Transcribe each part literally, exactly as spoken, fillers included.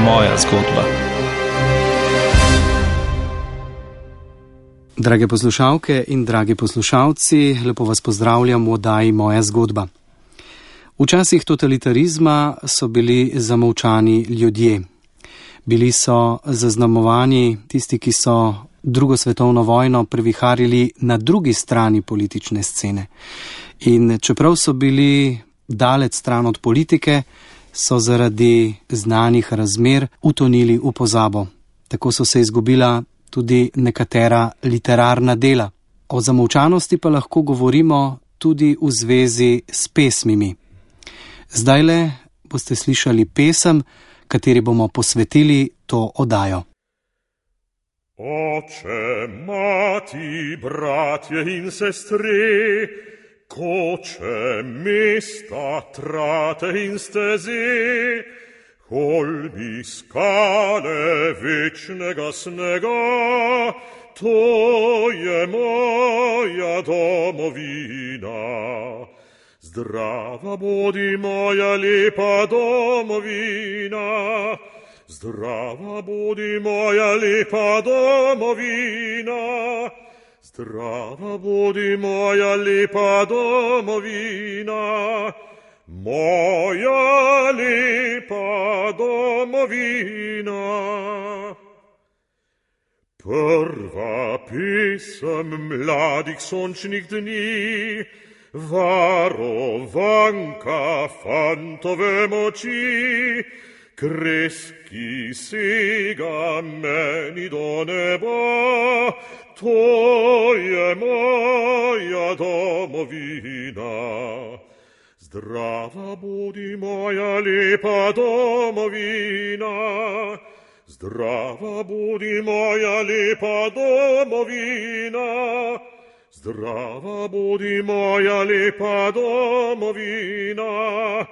moja zgodba. Drage poslušalke in dragi poslušalci, lepo vas pozdravljam v oddaji Moja zgodba. V časih totalitarizma so bili zamolčani ljudje. Bili so zaznamovani tisti, ki so drugo svetovno vojno previharili na drugi strani politične scene. In čeprav so bili daleč stran od politike, so zaradi znanih razmer utonili v pozabo. Tako so se izgubila tudi nekatera literarna dela. O zamolčanosti pa lahko govorimo tudi v zvezi s pesmimi. Zdajle boste slišali pesem, kateri bomo posvetili to oddajo. Oče, mati, bratje in sestre, koče, mesta, trate in steze, holmi, skale večnega snega, to je moja domovina. Zdrava bodi moja lepa domovina, zdrava bodi moja lepa domovina, zdrava bodi moja lepa domovina, moja lepa domovina. Prva pesem mladih sončnih dni, varovanka fantove moči, kres, ki sega meni do neba, to je moja domovina. Zdrava bodi moja lepa domovina, zdrava bodi moja lepa domovina, zdrava bodi moja lepa domovina,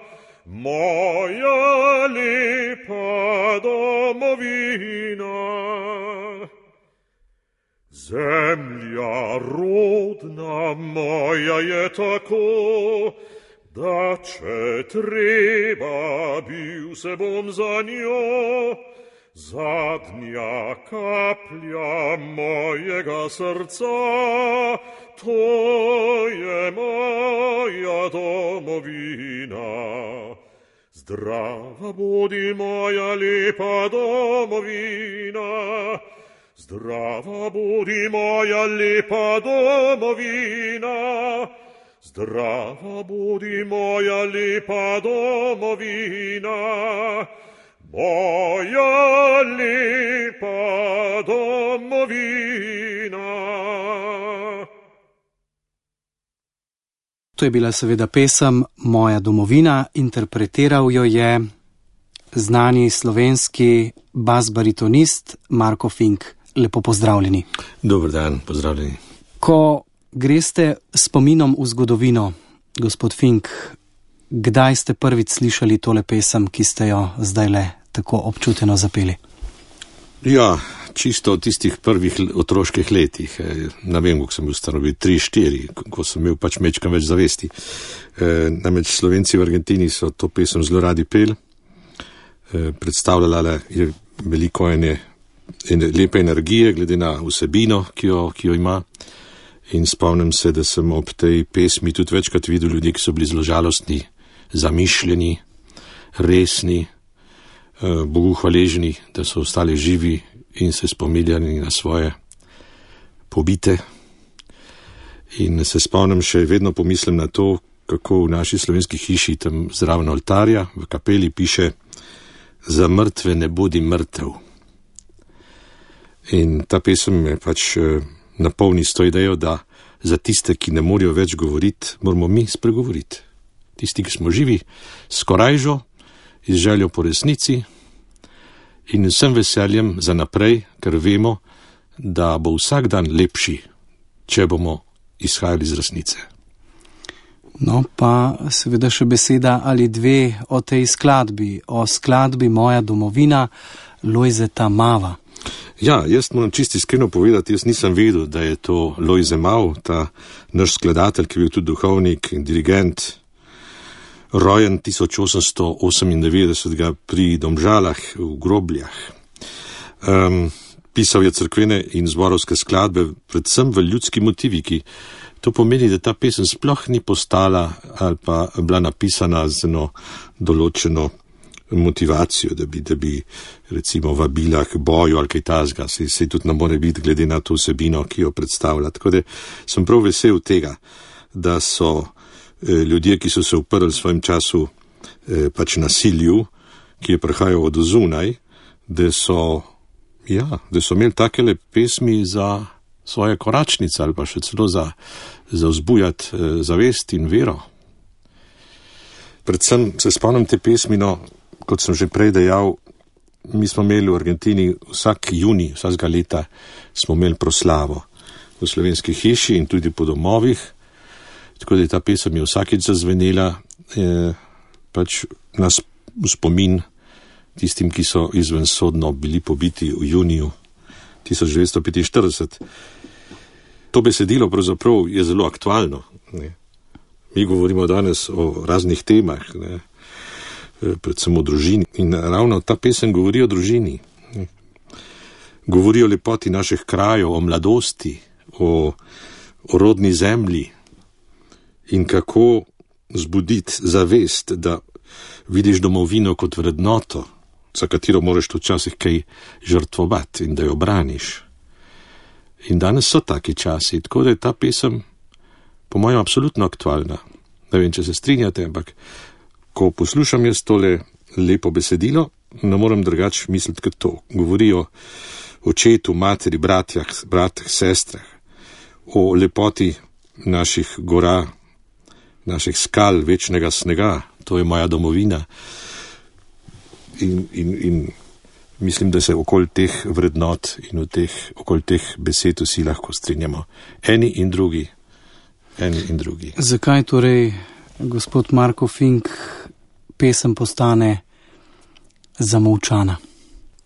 moja lepa domovina. Zemlja rodna moja je tako, da če treba bil se bom za njo, zadnja kaplja mojega srca, to je moja domovina. Zdrava bodi moja lepa domovina, zdrava bodi moja lepa domovina, zdrava bodi moja lepa domovina, moja lepa domovina. To je bila seveda pesem Moja domovina, interpretiral jo je znani slovenski bas-baritonist Marko Fink. Lepo pozdravljeni. Dober dan, pozdravljeni. Ko greste spominom v zgodovino, gospod Fink, kdaj ste prvič slišali tole pesem, ki ste jo zdajle tako občuteno zapeli? Ja, čisto v tistih prvih otroških letih. Ne vem, kako sem bil stanovi, tri, štiri, ko sem imel pač mečkam več zavesti. E, namreč Slovenci v Argentini so to pesem zelo radi pel. E, predstavljala je veliko ene, ene lepe energije, glede na vsebino, ki jo, ki jo ima. In spomnim se, da sem ob tej pesmi tudi večkrat videl ljudi, ki so bili zelo žalostni, zamišljeni, resni, Bogu hvaležni, da so ostali živi in se spominjali na svoje pobite. In se spomnim še, vedno pomislim na to, kako v naši slovenski hiši tam zraven oltarja v kapeli piše: za mrtve ne bodi mrtev. In ta pesem me pač napolni s to idejo, da za tiste, ki ne morejo več govoriti, moramo mi spregovoriti. Tisti, ki smo živi, s korajžo, z željo po resnici in vsem veseljem za naprej, ker vemo, da bo vsak dan lepši, če bomo izhajali iz resnice. No, pa seveda še beseda ali dve o tej skladbi, o skladbi Moja domovina Lojzeta Mava. Ja, jaz moram čisto iskreno povedati, jaz nisem vedel, da je to Lojze Mav, ta naš skladatelj, ki je bil tudi duhovnik in dirigent. rojen tisoč osemsto osemindevetdeset pri Domžalah v Grobljah. Um, pisal je cerkvene in zborovske skladbe, predvsem v ljudski motiviki. To pomeni, da ta pesem sploh ni postala ali pa bila napisana z eno določeno motivacijo, da bi, da bi recimo vabila k boju ali kaj tazga, se, se tudi ne more biti glede na to vsebino, ki jo predstavlja. Tako da sem prav vesel tega, da so eh, ljudje, ki so se uprli v svojem času eh, pač nasilju, ki je prihajal od zunaj, da so, ja, da so imeli takele pesmi za svoje koračnice ali pa še celo za, za vzbujati eh, zavest in vero. Predvsem se spomnim te pesmi, no, kot sem že prej dejal, mi smo imeli v Argentini vsak junij, vsakega leta smo imeli proslavo v Slovenski hiši in tudi po domovih, tako da je ta pesem je vsakič zazvenela, eh, pač nas v spomin tistim, ki so izvensodno bili pobiti v juniju tisoč devetsto petinštirideset. To besedilo pravzaprav je zelo aktualno, ne. Mi govorimo danes o raznih temah, ne, predvsem o družini. In ravno ta pesem govori o družini. Ne. Govori o lepoti naših krajev, o mladosti, o, o rodni zemlji in kako zbuditi zavest, da vidiš domovino kot vrednoto, za katero moraš tudi včasih kaj žrtvovati in da jo braniš. In danes so taki časi, tako da je ta pesem po mojem absolutno aktualna. Ne vem, če se strinjate, ampak ko poslušam jaz tole lepo besedilo, ne morem drugače misliti kot to. Govori o očetu, materi, bratjah, bratih, sestrah, o lepoti naših gora, naših skal, večnega snega, to je moja domovina. In, in, in mislim, da se okoli teh vrednot in teh, okoli teh besed vsi lahko strinjamo. Eni in drugi. Eni in drugi. Zakaj torej, gospod Marko Fink, pesem postane zamolčana?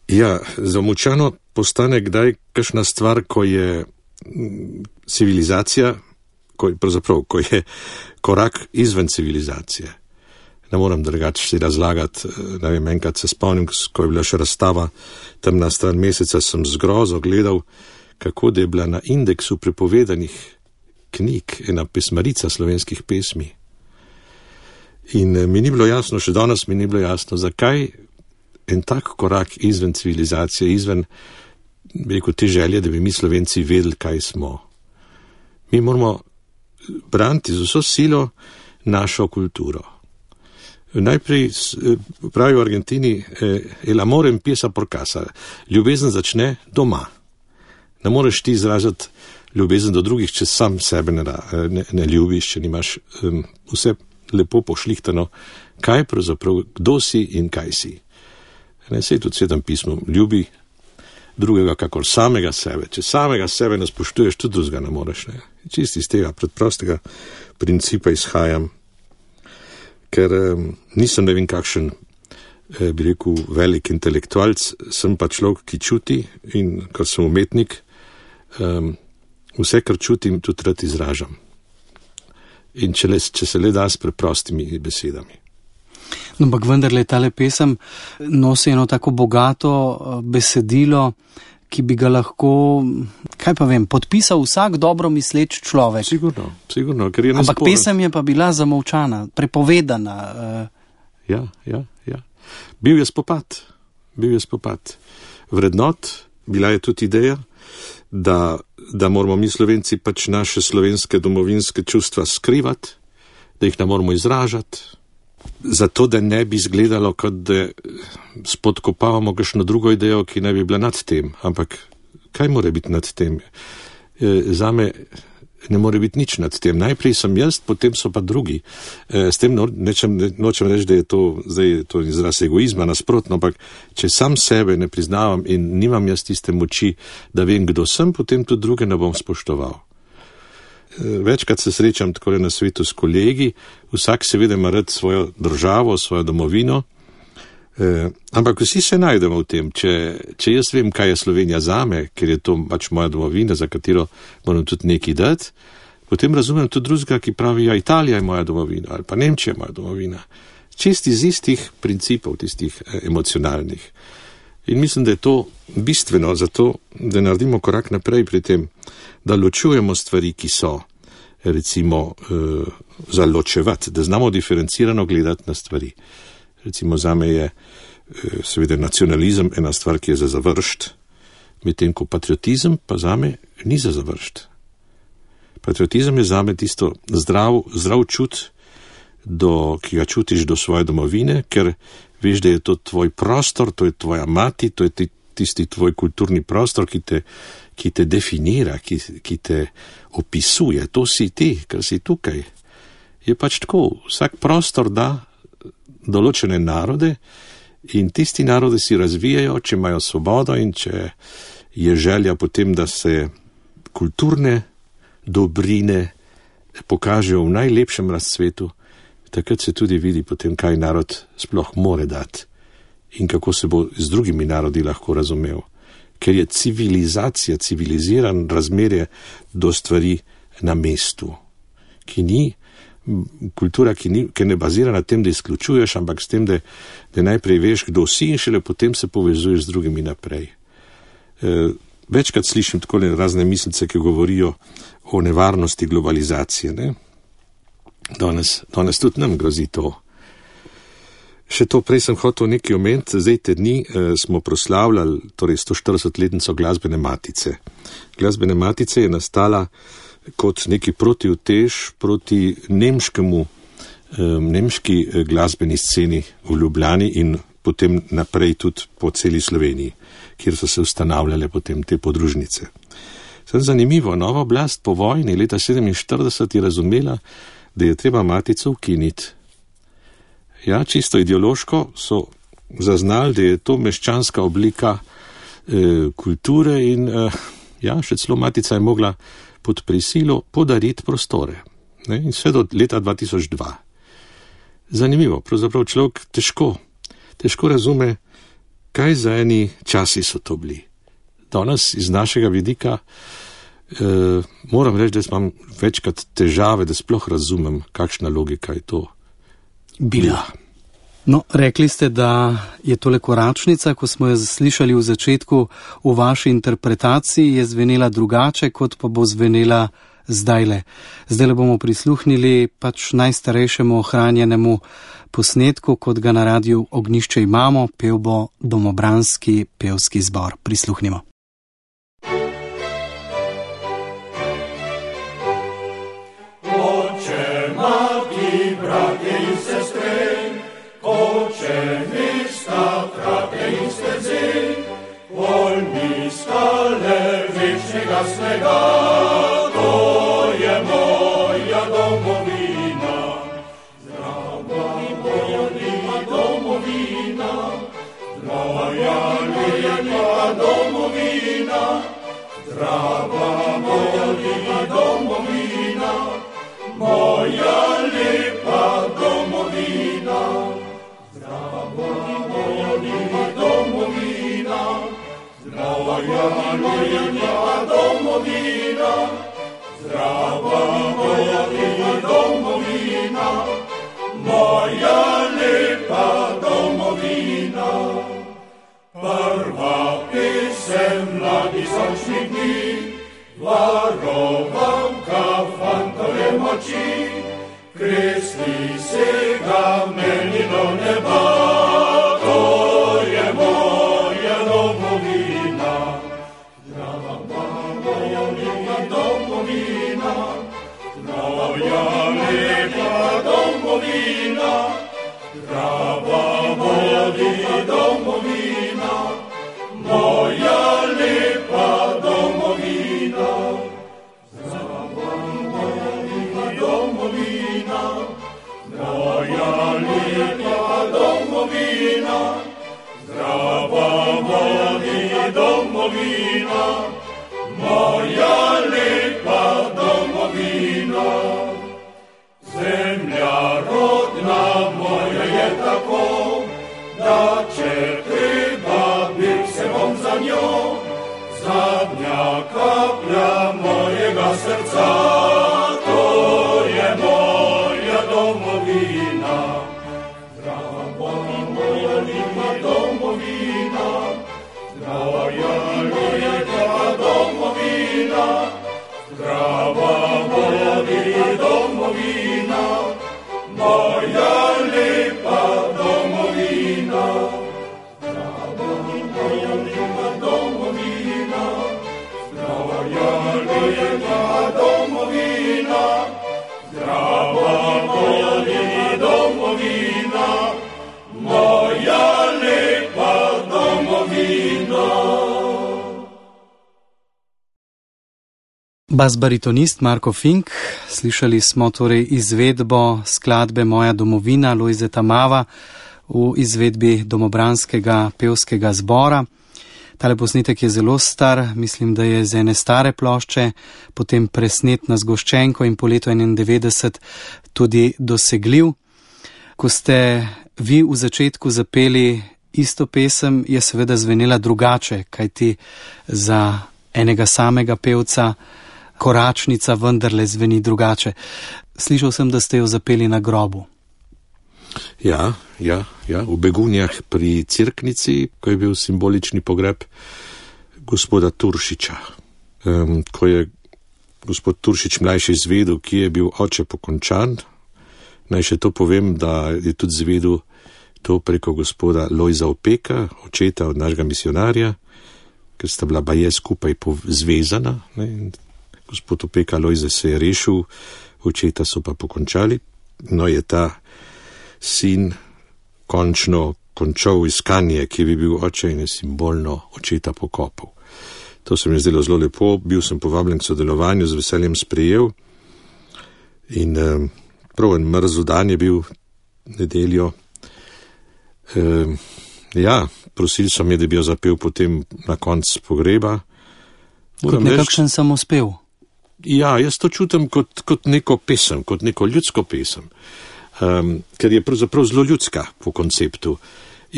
Ja, zamolčano postane kdaj kakšna stvar, ko je civilizacija, ko je, pravzaprav, ko je korak izven civilizacije. Ne moram drugače si razlagati, ne vem, enkrat se spomnim, ko je bila še razstava Temna stran meseca, sem z grozo gledal, kako da je bila na indeksu prepovedanih knjig ena pesmarica slovenskih pesmi. In mi ni bilo jasno, še danes mi ni bilo jasno, zakaj en tak korak izven civilizacije, izven, bi rekel, te želje, da bi mi Slovenci vedeli, kaj smo. Mi moramo braniti z vso silo našo kulturo. Najprej pravijo v Argentini, el amor empieza por casa. Ljubezen začne doma. Ne moreš ti izražati ljubezen do drugih, če sam sebe ne, ne, ne ljubiš, če nimaš um, vse lepo pošlihtano, kaj pravzaprav, kdo si in kaj si. Ne, sej tudi Svetem pismu, ljubi drugega kakor samega sebe. Če samega sebe ne spoštuješ, tudi drugega ne moreš. Ne. Čisti iz tega predprostega principa izhajam, ker um, nisem ne vem kakšen, eh, bi rekel, velik intelektualc, sem pa človek, ki čuti in ker sem umetnik, um, vse, kar čutim, tudi rad izražam. In če, le, če se le da s preprostimi besedami. No, ampak vendarle tale pesem nosi eno tako bogato besedilo, ki bi ga lahko, kaj pa vem, podpisal vsak dobro misleč človek. Sigurno, sigurno, ker je nesporen. Ampak pesem je pa bila zamolčana, prepovedana. Uh... Ja, ja, ja. Bil je spopad, bil je spopad. Vrednot, bila je tudi ideja, da, da moramo mi Slovenci pač naše slovenske domovinske čustva skrivati, da jih ne moramo izražati, zato da ne bi izgledalo, kot da spodkopavamo kakšno drugo idejo, ki ne bi bila nad tem. Ampak kaj more biti nad tem? E, zame ne more biti nič nad tem. Najprej sem jaz, potem so pa drugi. E, s tem no, nečem, ne, nočem reči, da je to, zdaj je to izraz egoizma, nasprotno, ampak če sam sebe ne priznavam in nimam jaz tiste moči, da vem, kdo sem, potem tudi druge ne bom spoštoval. Večkrat se srečam takole na svetu s kolegi, vsak seveda ima rad svojo državo, svojo domovino, eh, ampak vsi se najdemo v tem. Če, če jaz vem, kaj je Slovenija zame, ker je to pač moja domovina, za katero moram tudi nekaj dati, potem razumem tudi drugega, ki pravi, ja, Italija je moja domovina ali pa Nemčija je moja domovina. Čisti iz istih principov, tistih emocionalnih. In mislim, da je to bistveno za to, da naredimo korak naprej pri tem, da ločujemo stvari, ki so, recimo, eh, za ločevati, da znamo diferencirano gledati na stvari. Recimo, zame je eh, seveda nacionalizem ena stvar, ki je za završt, medtem ko patriotizem pa zame ni za završt. Patriotizem je zame tisto zdrav, zdrav čut, do, ki ga čutiš do svoje domovine, ker veš, da je to tvoj prostor, to je tvoja mati, to je tisti tvoj kulturni prostor, ki te, ki te definira, ki, ki te opisuje. To si ti, ker si tukaj. Je pač tako, vsak prostor da določene narode in tisti narode si razvijajo, če imajo svobodo in če je želja potem, da se kulturne dobrine pokažejo v najlepšem razcvetu, takrat se tudi vidi potem, kaj narod sploh more dati in kako se bo z drugimi narodi lahko razumel. Ker je civilizacija, civiliziran razmerje do stvari na mestu, ki ni kultura, ki, ni, ki ne bazira na tem, da izključuješ, ampak s tem, da, da najprej veš, kdo si in šele potem se povezuješ z drugimi naprej. E, večkrat slišim tako razne mislice, ki govorijo o nevarnosti globalizacije, ne? Danes, danes tudi nam grozi to. Še to prej sem hotel nekaj omeniti, zdaj te dni eh, smo proslavljali torej sto štiridesetletnico Glasbene matice. Glasbene matice je nastala kot neki protiutež proti nemškemu, eh, nemški eh, glasbeni sceni v Ljubljani in potem naprej tudi po celi Sloveniji, kjer so se ustanavljale potem te podružnice. Sem zanimivo, nova oblast po vojni leta sedeminštirideset je razumela, da je treba matico ukiniti. Ja, čisto ideološko so zaznali, da je to meščanska oblika eh, kulture in eh, ja, še celo matica je mogla pod prisilo podariti prostore. Ne? In vse do leta dva tisoč dva. Zanimivo, pravzaprav človek težko, težko razume, kaj za eni časi so to bili. Danes iz našega vidika Uh, moram reči, da imam večkrat težave, da sploh razumem, kakšna logika je to bila. No, rekli ste, da je tole koračnica, ko smo jo slišali v začetku, v vaši interpretaciji je zvenela drugače, kot pa bo zvenela zdajle. Zdajle bomo prisluhnili pač najstarejšemu ohranjenemu posnetku, kot ga na Radiu Ognjišče imamo, pel bo Domobranski pevski zbor. Prisluhnimo. Jasnega, to je moja domovina, zdrava moja lepa domovina, moja lepa domovina, zdrava moja lepa domovina, moja lepa domovina, zdrava moja lepa domovina, moja lepa domovina, zdrava moja lepa domovina, moja lepa domovina. Prva pesem mladi sončni dni, varovanka fantove moči, kresli se ga meni do neba, to je moja domovina. Moja lepa domovina, zdrava moja lepa domovina, moja lepa domovina, zdrava moja lepa domovina, moja lepa domovina, zdrava moja lepa domovina, moja lepa domovina. Zemlja rodna moja je tako, da če treba, bil se bom za njo, zadnja kaplja mojega srca. moja lepa domovina, zdrava bodi domovina, moja lepa domovina, zdrava moja lepa domovina, moja lepa domovina, zdrava bodi domovina, moja lepa domovina. Bas-baritonist Marko Fink, slišali smo torej izvedbo skladbe Moja domovina Lojzeta Mava v izvedbi Domobranskega pevskega zbora. Tale posnetek je zelo star, mislim, da je z ene stare plošče, potem presnet na zgoščenko in po letu enaindevetdeset tudi dosegljiv. Ko ste vi v začetku zapeli isto pesem, je seveda zvenela drugače, kajti za enega samega pevca Koračnica vendarle zveni drugače. Slišal sem, da ste jo zapeli na grobu. Ja, ja, ja, v Begunjah pri Cerknici, ko je bil simbolični pogreb gospoda Turšiča. Um, ko je gospod Turšič mlajši izvedel, ki je bil oče pokončan, naj še to povem, da je tudi izvedel to preko gospoda Lojza Opeka, očeta od našega misionarja, ker sta bila baje skupaj zvezana. Ne? Gospod Opeka Lojze se je rešil, očeta so pa pokončali. No, je ta sin končno končal iskanje, ki bi bil oče, in je simbolno očeta pokopal. To se mi je zdelo zelo lepo, bil sem povabljen k sodelovanju, z veseljem sprejel. In um, prav en mrzel dan je bil nedeljo. Um, ja, prosil so me, da bi jo zapel potem na konc pogreba. Kot nekakšen samospev. Ja, jaz to čutim kot, kot neko pesem, kot neko ljudsko pesem, um, ker je pravzaprav zelo ljudska po konceptu.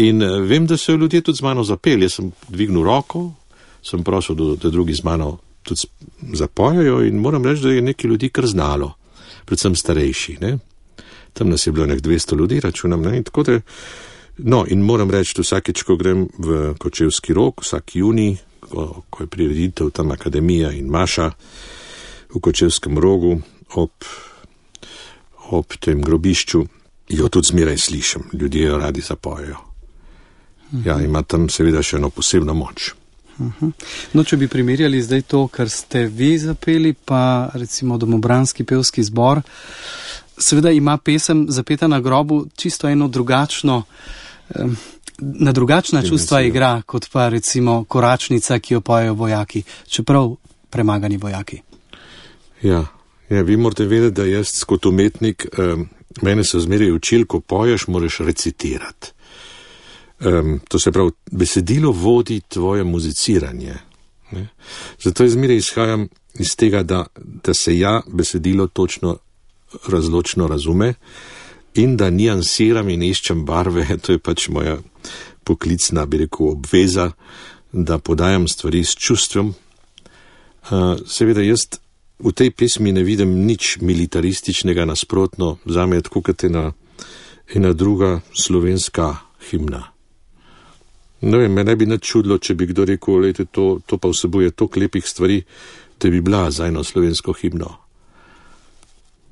In uh, vem, da so ljudje tudi z mano zapeli. Jaz sem dvignil roko, sem prosil, da, da drugi z mano tudi zapojajo in moram reči, da je nekaj ljudi kar znalo, predvsem starejši. Ne? Tam nas je bilo nek dvesto ljudi, računam. Ne? In tako da, no, in moram reči, da vsakeč, ko grem v Kočevski Rog, vsak junij, ko, ko je prireditev tam Akademija in Maša, v Kočevskem Rogu, ob, ob tem grobišču, jo tudi zmeraj slišim, ljudje jo radi zapojejo. Uh-huh. Ja, ima tam seveda še eno posebno moč. Uh-huh. No, če bi primerjali zdaj to, kar ste vi zapeli, pa recimo Domobranski pevski zbor, seveda ima pesem zapeta na grobu čisto eno drugačno, um, na drugačna čustva igra, kot pa recimo Koračnica, ki jo pojejo vojaki, čeprav premagani vojaki. Ja, ja, vi morate vedeti, da jaz kot umetnik, um, mene so zmeraj učili, ko poješ, moraš recitirati. Um, to se pravi, besedilo vodi tvoje muziciranje. Ne? Zato jaz zmeraj izhajam iz tega, da, da se ja besedilo točno razločno razume in da niansiram in iščem barve, to je pač moja poklicna, bi rekel, obveza, da podajam stvari s čustvom. Uh, seveda jaz v tej pesmi ne vidim nič militarističnega, nasprotno, zame je tako kot ena, ena druga slovenska himna. Ne vem, me ne bi nič čudilo, če bi kdo rekel, lejte, to, to pa vsebuje toliko lepih stvari, da bi bila za eno slovensko himno.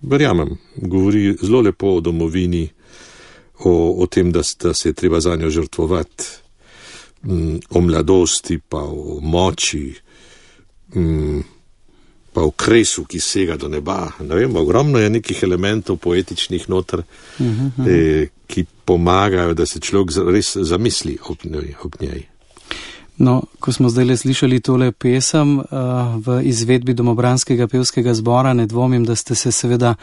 Verjamem, govori zelo lepo o domovini, o, o tem, da, da se je treba za njo žrtvovati, m, o mladosti, pa o moči, m, pa o kresu, ki sega do neba. Ne vem, ogromno je nekih elementov poetičnih noter, uh-huh. eh, ki pomagajo, da se človek res zamisli ob njej. Ob njej. No, ko smo zdaj le slišali tole pesem uh, v izvedbi Domobranskega pevskega zbora, ne dvomim, da ste se seveda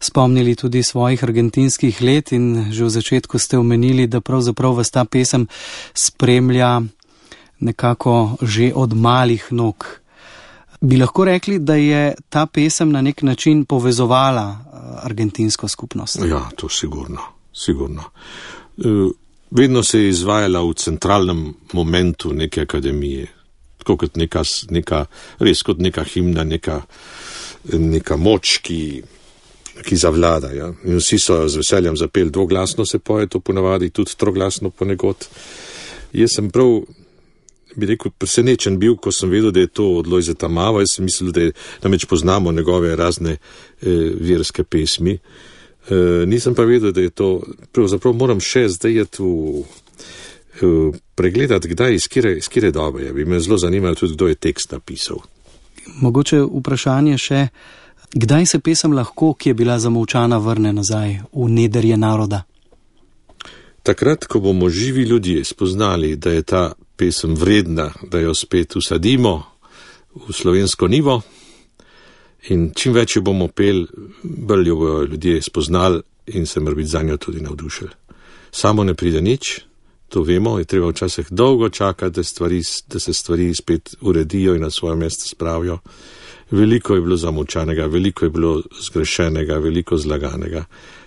spomnili tudi svojih argentinskih let in že v začetku ste omenili, da pravzaprav vas ta pesem spremlja nekako že od malih nog. Bi lahko rekli, da je ta pesem na nek način povezovala argentinsko skupnost? Ja, to sigurno, sigurno. Uh, vedno se je izvajala v centralnem momentu neke akademije. Tako kot neka, neka res kot neka himna, neka, neka moč, ki, ki zavlada. Ja? In vsi so z veseljem zapeli, dvoglasno se poje to ponavadi, tudi troglasno ponekod. Jaz sem prav bi rekel, presenečen bil, ko sem vedel, da je to od Lojzeta Mava. Jaz sem mislil, da je, namreč poznamo njegove razne eh, verske pesmi. Eh, nisem pa vedel, da je to, pravzaprav moram še zdaj je tu eh, pregledati, kdaj, iz kire, iz kire dobe je. Bi me zelo zanimalo tudi, kdo je tekst napisal. Mogoče vprašanje še, kdaj se pesem lahko, ki je bila zamolčana, vrne nazaj v nedrje naroda? Takrat, ko bomo živi ljudje spoznali, da je ta pesem vredna, da jo spet usadimo v slovensko nivo in čim več jo bomo pel, bolj jo bojo ljudje spoznali in se morbiti za njo tudi navdušili. Samo ne pride nič, to vemo, je treba včasih dolgo čakati, da, stvari, da se stvari spet uredijo in na svoje mesto spravijo. Veliko je bilo zamolčanega, veliko je bilo zgrešenega, veliko zlaganega.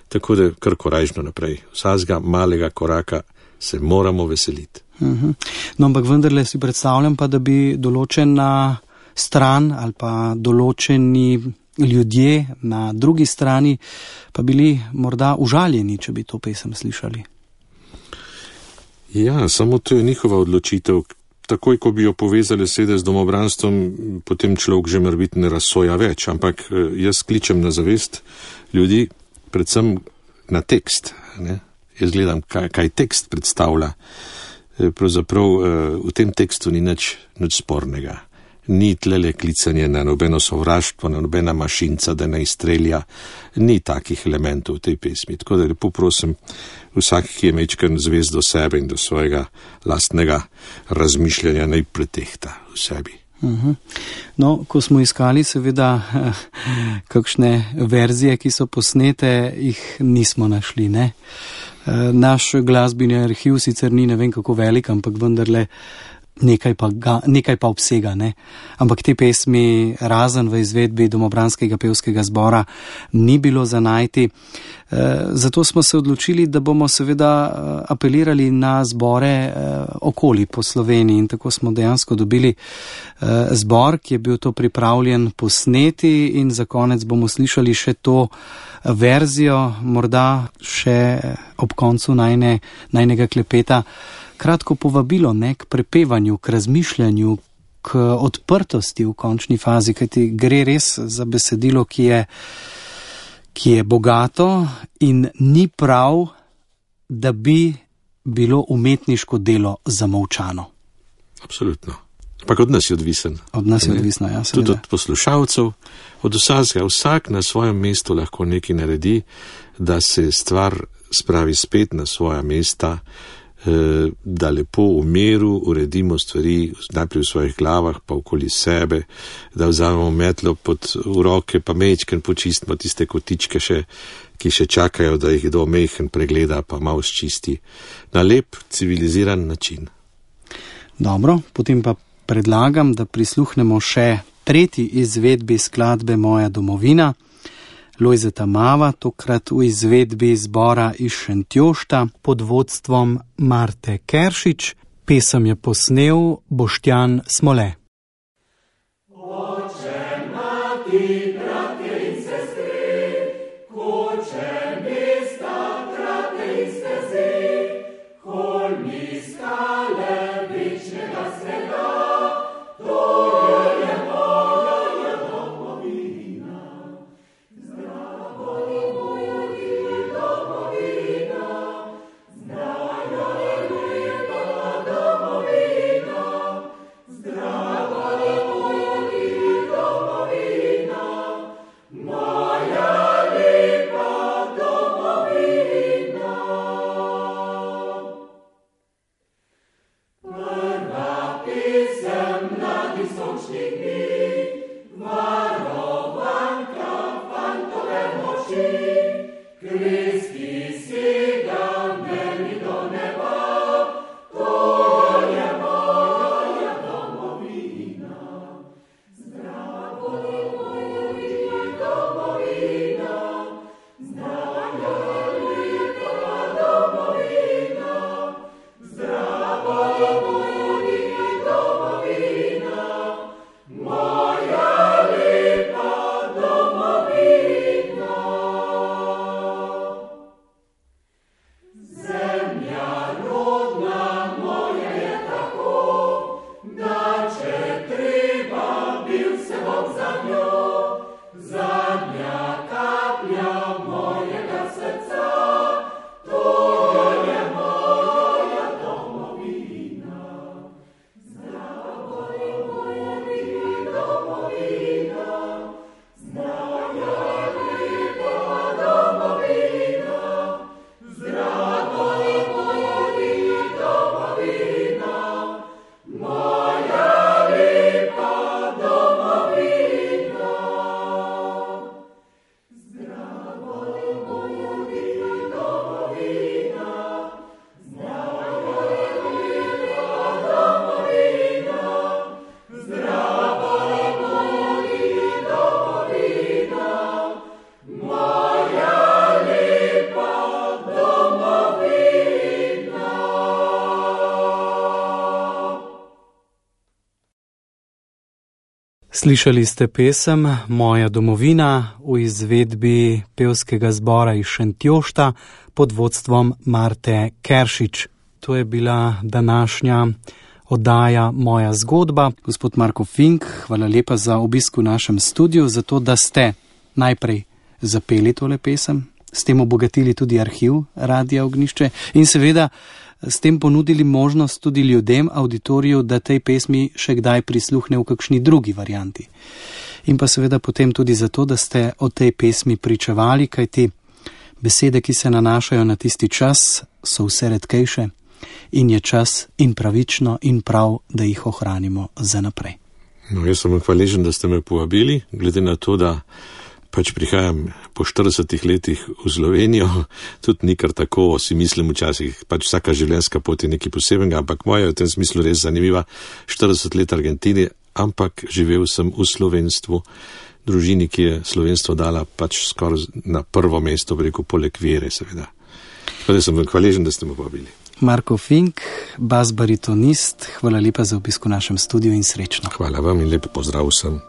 Tako da kar korajžno naprej. Vsakega malega koraka se moramo veseliti. Uh-huh. No, ampak vendarle si predstavljam pa, da bi določena stran ali pa določeni ljudje na drugi strani pa bili morda užaljeni, če bi to pesem slišali. Ja, samo to je njihova odločitev. Takoj, ko bi jo povezali sede z domobranstvom, potem človek že morbiti ne razsoja več. Ampak jaz kličem na zavest ljudi, predvsem na tekst. Ne? Jaz gledam, kaj, kaj tekst predstavlja. Pravzaprav v tem tekstu ni nič, nič spornega. Ni tlele klicanje na nobeno sovraštvo, na nobena mašinca, da ne izstrelja. Ni takih elementov v tej pesmi. Tako da lepo prosim vsak, ki je mečken zvest do sebe in do svojega lastnega razmišljanja, naj pretehta v sebi. Uh-huh. No, ko smo iskali seveda kakšne verzije, ki so posnete, jih nismo našli, ne? Naš glasbeni arhiv sicer ni ne vem kako velik, ampak vendarle nekaj pa, ga, nekaj pa obsega, ne? Ampak te pesmi razen v izvedbi Domobranskega pevskega zbora ni bilo za najti. Zato smo se odločili, da bomo seveda apelirali na zbore okoli po Sloveniji in tako smo dejansko dobili zbor, ki je bil to pripravljen posneti in za konec bomo slišali še to verzijo, morda še ob koncu najne, najnega klepeta kratko povabilo, ne, k prepevanju, k razmišljanju, k odprtosti v končni fazi, kajti gre res za besedilo, ki je ki je bogato in ni prav, da bi bilo umetniško delo zamolčano. Absolutno. Ampak od nas je odvisen. Od nas je ne? odvisno, ja. Tudi od poslušalcev, od vsakega. Vsak na svojem mestu lahko nekaj naredi, da se stvar spravi spet na svoja mesta, da lepo v miru uredimo stvari najprej v svojih glavah, pa okoli sebe, da vzamemo metlo pod v roke, pa mečken počistimo tiste kotičke, še, ki še čakajo, da jih kdo mehen pregleda, pa malo sčisti na lep, civiliziran način. Dobro, potem pa predlagam, da prisluhnemo še tretji izvedbi skladbe Moja domovina, Lojzeta Mava, tokrat v izvedbi zbora iz Šentjošta pod vodstvom Marte Keršič. Pesem je posnel Boštjan Smole. Oče, mati, bratje in sestri, koče mesta, trate in stezi, holmi skale večnega sveta, to je moja domovina. More Slišali ste pesem Moja domovina v izvedbi pevskega zbora iz Šentjošta pod vodstvom Marte Keršič. To je bila današnja oddaja Moja zgodba. Gospod Marko Fink, hvala lepa za obisk v našem studiu, za to, da ste najprej zapeli tole pesem, s tem obogatili tudi arhiv Radia Ognjišče in seveda s tem ponudili možnost tudi ljudem, auditoriju, da tej pesmi še kdaj prisluhne v kakšni drugi varianti. In pa seveda potem tudi zato, da ste o tej pesmi pričevali, kajti besede, ki se nanašajo na tisti čas, so vse redkejše in je čas in pravično in prav, da jih ohranimo za naprej. No, jaz sem hvaležen, da ste me povabili, glede na to, da pač prihajam po štiridesetih letih v Slovenijo, tudi ni kar tako, si mislim včasih, pač vsaka življenjska pot je nekaj posebnega, ampak moja je v tem smislu res zanimiva, štirideset let Argentini, ampak živel sem v slovenstvu, družini, ki je slovenstvo dala pač skoraj na prvo mesto, preko poleg vere, seveda. Tako da sem hvaležen, da ste me povabili. Marko Fink, bas baritonist, hvala lepa za obisk v našem studiu in srečno. Hvala vam in lep pozdrav vsem.